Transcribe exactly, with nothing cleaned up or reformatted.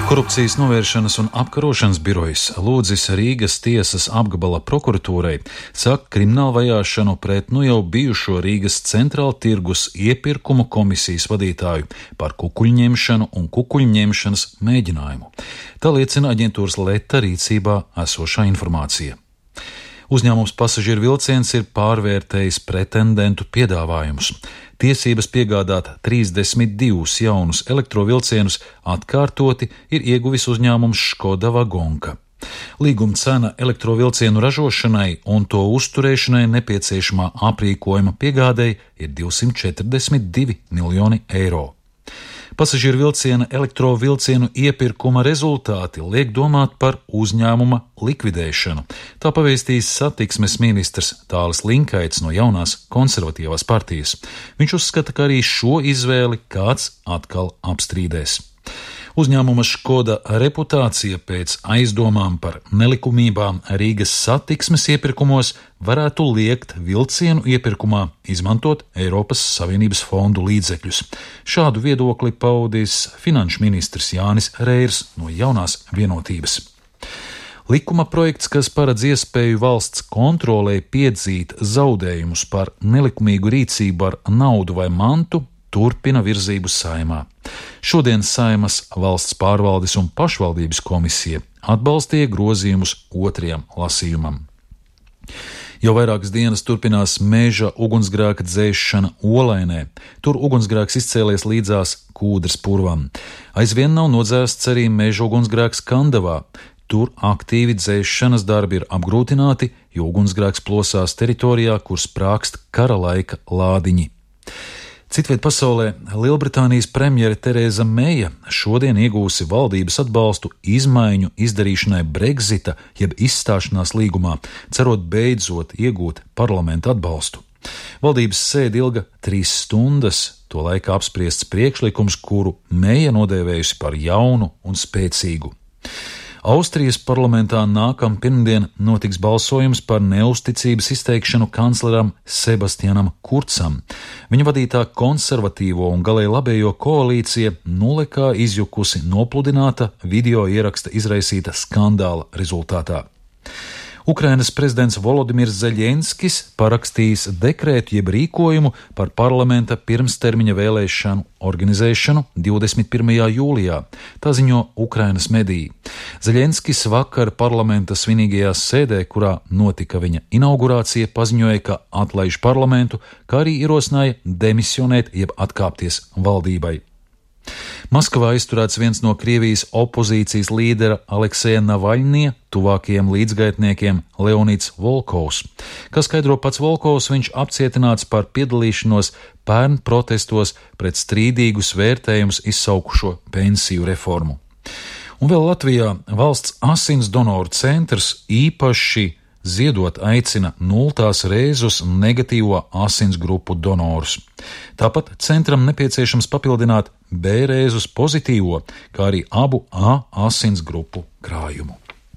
Korupcijas novēršanas un apkarošanas birojas lūdzis Rīgas tiesas apgabala prokuratūrai sākt kriminālu vajāšanu pret nu jau bijušo Rīgas centrāla tirgus iepirkumu komisijas vadītāju par kukuļņemšanu un kukuļņemšanas mēģinājumu. Tā liecina aģentūras Leta rīcībā esošā informācija. Uzņēmums Pasažieru vilciens ir pārvērtējis pretendentu piedāvājumus. Tiesības piegādāt trīsdesmit divus jaunus elektrovilcienus atkārtoti ir ieguvis uzņēmums Škoda Vagonka. Līguma cena elektrovilcienu ražošanai un to uzturēšanai nepieciešamā aprīkojuma piegādei ir divsimt četrdesmit divi miljoni eiro. Pasažieru vilciena elektrovilcienu iepirkuma rezultāti liek domāt par uzņēmuma likvidēšanu. Tā pavēstījis satiksmes ministrs Tālis Linkaits no jaunās konservatīvās partijas. Viņš uzskata, ka arī šo izvēli kāds atkal apstrīdēs. Uzņēmuma Škoda reputācija pēc aizdomām par nelikumībām Rīgas satiksmes iepirkumos varētu liekt vilcienu iepirkumā izmantot Eiropas Savienības fondu līdzekļus. Šādu viedokli paudis finanšu ministrs Jānis Reirs no jaunās vienotības. Likuma projekts, kas paredz iespēju valsts kontrolē piedzīt zaudējumus par nelikumīgu rīcību ar naudu vai mantu, turpina virzību Saeimā. Šodien Saeimas valsts pārvaldes un pašvaldības komisija atbalstīja grozījumus otrajam lasījumam. Jau vairākas dienas turpinās meža ugunsgrēka dzēšana Olainē. Tur ugunsgrēks izcēlies līdzās Kūdras purvam. Aizvien nav nodzēsts arī meža ugunsgrēks Kandavā. Tur aktīvi dzēšanas darbi ir apgrūtināti, jo ugunsgrēks plosās teritorijā, kur sprākst kara laika lādiņi. Citviet pasaulē Lielbritānijas premjere Tereza Meija šodien iegūsi valdības atbalstu izmaiņu izdarīšanai Brexita jeb izstāšanās līgumā, cerot beidzot iegūt parlamenta atbalstu. Valdības sēde ilga trīs stundas, to laikā apspriests priekšlikums, kuru Meija nodēvējusi par jaunu un spēcīgu. Austrijas parlamentā nākam pirmdien notiks balsojums par neusticības izteikšanu kancleram Sebastianam Kurcam. Viņa vadītā konservatīvo un galēji labējo koalīcija nulekā izjukusi nopludināta video ieraksta izraisīta skandāla rezultātā. Ukrainas prezidents Volodimirs Zeļenskis parakstījis dekrētu jeb rīkojumu par parlamenta pirmstermiņa vēlēšanu organizēšanu divdesmit pirmajā jūlijā. Tā ziņo Ukrainas mediji. Zeļenskis vakar parlamenta svinīgajā sēdē, kurā notika viņa inaugurācija, paziņoja, ka atlaiž parlamentu, kā arī ierosināja demisionēt jeb atkāpties valdībai. Maskavā izturēts viens no Krievijas opozīcijas līdera Alekseja Navaļņija tuvākajiem līdzgaitniekiem Leonids Volkovs. Kā skaidro pats Volkovs, viņš apcietināts par piedalīšanos pērn protestos pret strīdīgus vērtējumus izsaukušo pensiju reformu. Un vēl Latvijā valsts asins donoru centrs īpaši ziedot aicina nultās rēzus negatīvo asins grupu donorus. Tāpat centram nepieciešams papildināt B rēzus pozitīvo, kā arī abu A asins grupu krājumu.